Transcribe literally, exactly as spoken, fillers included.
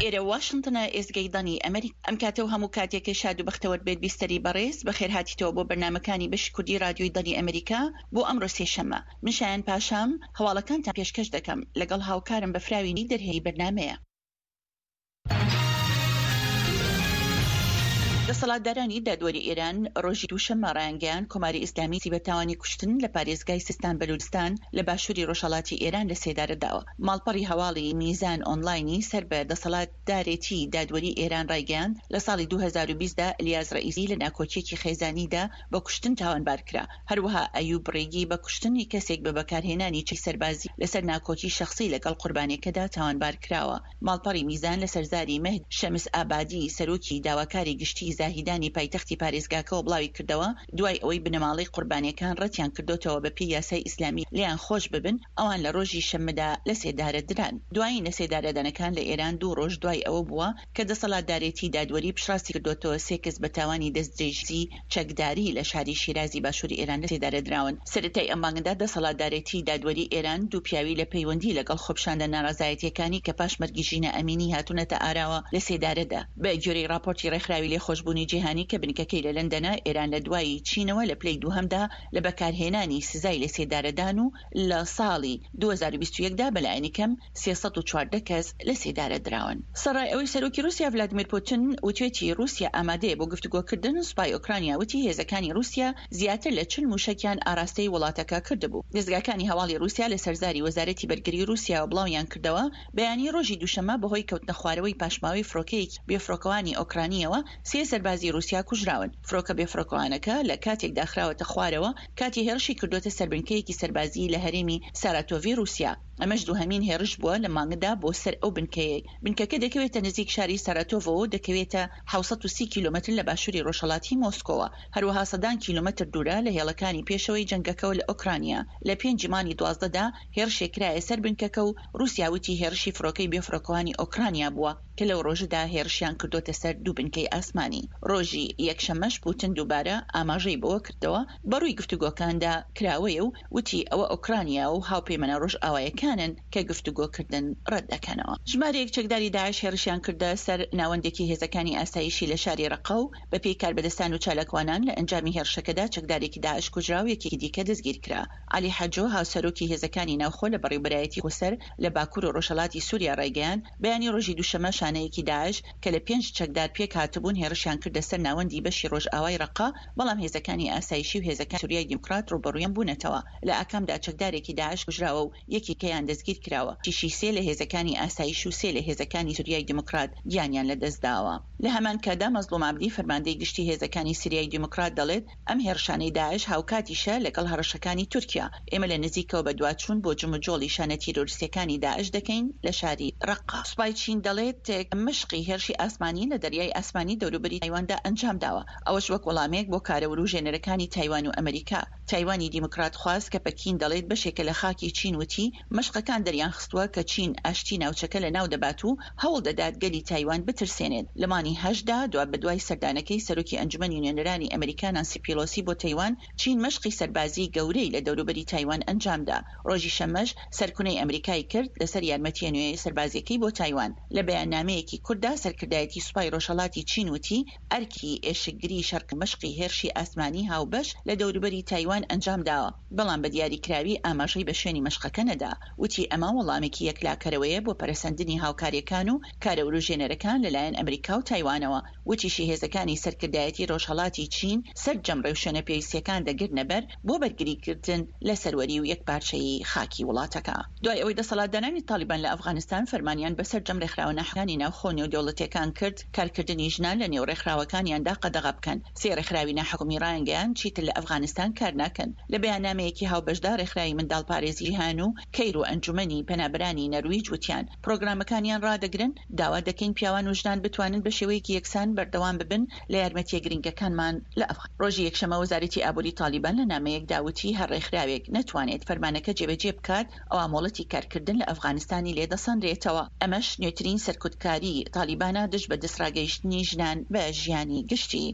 ئێرە واشنتنە، ئێزگەی دەنگی ئەمریکا. ئەم کاتە و هەموو کاتێکت شاد و بەختەوەر بێت بیستەری بەڕێز، بەخێر هاتیتەوە بۆ بەرنامەکانی بەشی کوردی رادیۆی دەنگی ئەمریکا بۆ ئەمڕۆ سێشەممە. من شایان پاشام، هەواڵەکانتان پێشکەش دەکەم، لەگەڵ هاوکارم بەفراوی دەرهێنی بەرنامەیە. دەسەڵاتدارانی دادوەری ئێران ڕۆژی دووشەممە ڕایانگەیاند کۆماری ئیسلامی بە تاوانی کوشتن لە پارێزگای سیستان بەلوچستان لە باشووری ڕۆژهەڵاتی ئێران لە سێدارە داوە. ماڵپەڕی هەواڵی میزان ئۆنلاینی سەر بە دەسەڵاتدارێتی دادوەری ئێران ڕایگەیاند لە ساڵی دوو هەزار و بیست دا ئەلیاس ڕەئیسی لە ناکۆکییەکی خێزانیدا بە کوشتن تاوانبار کرا. هەروەها ئەیوب ڕێگی بە کوشتنی کەسێک بە بەکارهێنانی چەکی سەربازی لەسەر ناکۆکی شەخسی لەگەڵ قوربانیەکەدا تاوانبار کراوە. ماڵپەڕی میزان لەسەر زاری مەهدی شەمس ئابادی سەرۆکی داواکاری گشتی زاهیدانی پایتەختی پارێزگاکەوە بڵاویکردەوە، دوای ئەوەی بنەماڵەی قوربانیەکان ڕەتیان کردۆتەوە بەپێی یاسای ئیسلامی لێیان خۆش ببن، ئەوان لە ڕۆژی شەممەدا لەسێدارە دران. دوایین لەسێدارەدانەکان لە ئێران دوو ڕۆژ دوای ئەوە بووە کە دەسەڵاتدارێتی دادوەری پشتڕاستی کردۆتەوە سێ کەس بە تاوانی دەستدرێژی چەکداری لە شاری شیرازی باشووری ئێران لەسێدارە دراون. سەرەتای ئەم مانگەدا دەسەڵاتدارێتی دادوەری ئێران دوو پیاوی لە پەیوەندی لەگەڵ خۆپیشاندە ناڕەزایەتیەکانی کە پاش مەرگی ژینا ئەمینی هاتوونەتە ئاراوە لەسێدارە دا. بە گوێرەی ڕاپۆرتی ڕێکخراوی لێخۆشبوونی جیهانی کە بنکەکەی لە لەندەنە، ئێران لە دوای چینەوە لە پلەی دووهەمدا لە بەکارهێنانی سزای لەسێدارەدان و لە ساڵی دوو هەزار و بیست و یەک دا بەلایەنی کەم سێ سەد و چواردە کەس لەسێدارە دراون. سەرەڕای ئەوەی سەرۆکی ڕووسیا ڤلادیمیر پوتن وتوێتی ڕووسیا ئامادەیە بۆ گفتوگۆکردن، سوپای ئۆکرانیا وتی هێزەکانی ڕووسیا زیاتر لە چل مووشەکیان ئاراستەی وڵاتەکە کردبوو. دەزگاکانی هەواڵی ڕووسیا لەسەر زاری وەزارەتی بەرگری ڕووسیاوە بڵاویان کردەوە، بەیانی ڕۆژی دووشەممە بەهۆی کەوتنەخوارەوەی پاشماوەی فڕۆکەیەکی بێفڕۆکەوانی ئۆکرانییەوە سێ سەربازی ڕووسیا کوژراون. فڕۆکە بێفڕۆکەوانەکە لە کاتێکدا خراوەتە خوارەوە کاتی هێڕشی کردووەتە سەر بنکەیەکی سەربازی لە هەرێمی ساراتۆڤی ڕووسیا. ئەمەش دووهەمین هێڕش بووە لە مانگدا بۆ سەر ئەو بنکەیەی. بنکەکە دەکەوێتە نزیک شاری ساراتۆڤەوە و دەکەوێتە حەوت سەد و سی کیلۆمەتر لە باشووری ڕۆژهەڵاتی مۆسکۆوە. هەروەها سەدان کیلۆمەتر دوورە لە هێڵەکانی پێشەوەی جەنگەکەوە لە ئۆکرانیا. لە پێنجی مانگی دوازدە دا هێڕشێک کرایە سەر بنکەکە و ڕووسیا وتی هێڕشی فڕۆکەی بێفڕۆکەوانی ئۆکرانیا بووە کە لەو ڕۆژەدا هێڕشیان کردۆتە سەر دوو بنکەی ئاسمانی. ڕۆژی یەکشەممەش پوتن دووبارە ئاماژەی بەوە کردەوە بەڕووی گفتوگۆکاندا کراوەیە و وتی ئەوە ئۆکرانیا و هاوپەیمانە ڕۆژئاوایەکانن کە گفتوگۆکردن ڕەت دەکەنەوە. ژمارەیەک چەکداری داعش هێڕشیان کردە سەر ناوەندێکی هێزەکانی ئاسایشی لە شاری ڕەققە و بەپێی کاربەدەستان و چالاکوانان لە ئەنجامی هێڕشەکەدا چەکدارێکی داعش کوژرا و یەکێکی دیکە دەستگیرکرا. عەلی حەجۆ هاوسەرۆکی هێزەکانی ناوخۆ لە بەڕێوبەرایەتی خۆسەر لە باکوور و ڕۆژهەڵاتی سووریا ڕایگەیاند، بەیانی ڕۆژی دووشەممە شانەیەکی داعش کە لە پێنج چەکدار پێکهاتبوون هێڕشیان کردە سەر ناوەندی بەشی ڕۆژئاوای ڕەققە، بەڵام هێزەکانی ئاسایشی و هێزەکانی سوریای دیموکرات ڕووبەڕوویان بوونەتەوە. لە ئاکامدا چەکدارێکی داعش کوژراوە و یەکێکیان دەستگیرکراوە. وتیشی سێ لە هێزەکانی ئاسایش و سێ لە هێزەکانی سوریای دیموکرات گیانیان لەدەستداوە. لە هەمان کاتدا مەزڵوم عەبدی فەرماندەی گشتی هێزەکانی سوریای دیموکرات دەڵێت، ئەم هێڕشانەی داعش هاوکاتیشە لەگەڵ هەڕەشەکانی تورکیا. ئێمە لە نزیکەوە بەدواچوون بۆ جموجۆڵی شانە تیرۆریستیەکانی داعش دەکەین لە شاری ڕەققە. سوپای چین دەڵێت مەشقی هێرشی ئاسمانی لە دەریای ئاسمانی دەوروبەری تایواندا ئەنجامداوە، ئەوەش وەک وەڵامێک بۆ کارە وروژێنەرەکانی تایوان و ئەمریکا. تایوانی دیموکراتخواز کە پەکین دەڵێت بەشێکە لە خاکی چین وتی مەشقەکان دەریانخستووە کە چین ئاشتی ناوچەکە لەناو دەبات و هەوڵ دەدات گەلی تایوان بترسێنێت. لە مانگی هەشتدا دوابەدوای سەردانەکەی سەرۆکی ئەنجومەنی نوێنەرانی ئەمریکا نانسی پیلۆسی بۆ تایوان، چین مەشقی سەربازی گەورەی لە دەوروبەری تایوان ئەنجامدا. ڕۆژی شەممەش سەرکونەی ئەمریکای کرد لەسەر یارمەتیە نوێ سەربازیەکەی بۆ تایوان. لە بەیاننامەیەکی کورتدا سەرکردایەتی سوپای ڕۆژهەڵاتی چین وتی ئەرکی ئێشکگری شەڕ مەشقی هێرشی ئاسمانی هاوبەش لە دەوروبەری تایوان ئەنجامداوە، بەڵام بە دیاریکراوی ئاماژەی بە شوێنی مەشقەکە نەدا. وتی ئەمە وەڵامێکی یەکلاکەرەوەیە بۆ پەرەسەندنی هاوکاریەکان و کارە وروژێنەرەکان لەلایەن ئەمریکا و تایوانەوە. وتیشی هێزەکانی سەرکردایەتی ڕۆژهەڵاتی چین سەرجەم ڕێوشوێنە پێویستیەکان دەگرنەبەر بۆ بەرگریکردن لە سەروەری و یەکپارچەیی خاکی وڵاتەکە. دوای ئەوەی دەسەڵاتدارانی تاڵیبان لە ئەفغانستان فەرمانیان بە سەرجەم ڕێکخراوە ناحکومیەکانی ناوخۆ و نێودەوڵەتیەکان کرد کارکردنی ژنان لە نێو ڕێکخراوەکانیاندا قەدەغە بکەن، سێ ڕێکخراوی ناحکومی ڕایانگەیاند چیتر لە ئەفغانستان کار ناکەن. لە بەیاننامەیەکی هاوبەشدا ڕێکخراوی منداڵپارێزی جیهان و کەیر و ئەنجومەنی پەنابەرانی نەرویج وتیان پرۆگرامەکانیان ڕادەگرن، داوا دەکەین پیاوان و ژنان بتوانن بە شێوەیەکی یەکسان بەردەوام ببن لە یارمەتیە گرنگەکانمان لە ئەفغان. ڕۆژی یەکشەممە وەزارەتی ئابووری تاڵیبان لە نامەیەکدا وتی هەر ڕێکخراوێک نەتوانێت فەرمانەکە جێبەجێ بکات ئەوا مۆڵەتی کارکردن لە ئەفغانستانی لێدەسەنرێتەوە. ئەمەش نوێترین سەرکوتکاری تاڵیبانە دژ بە دەستڕاگەیشتنی ژنان بە ژیانی گشتی.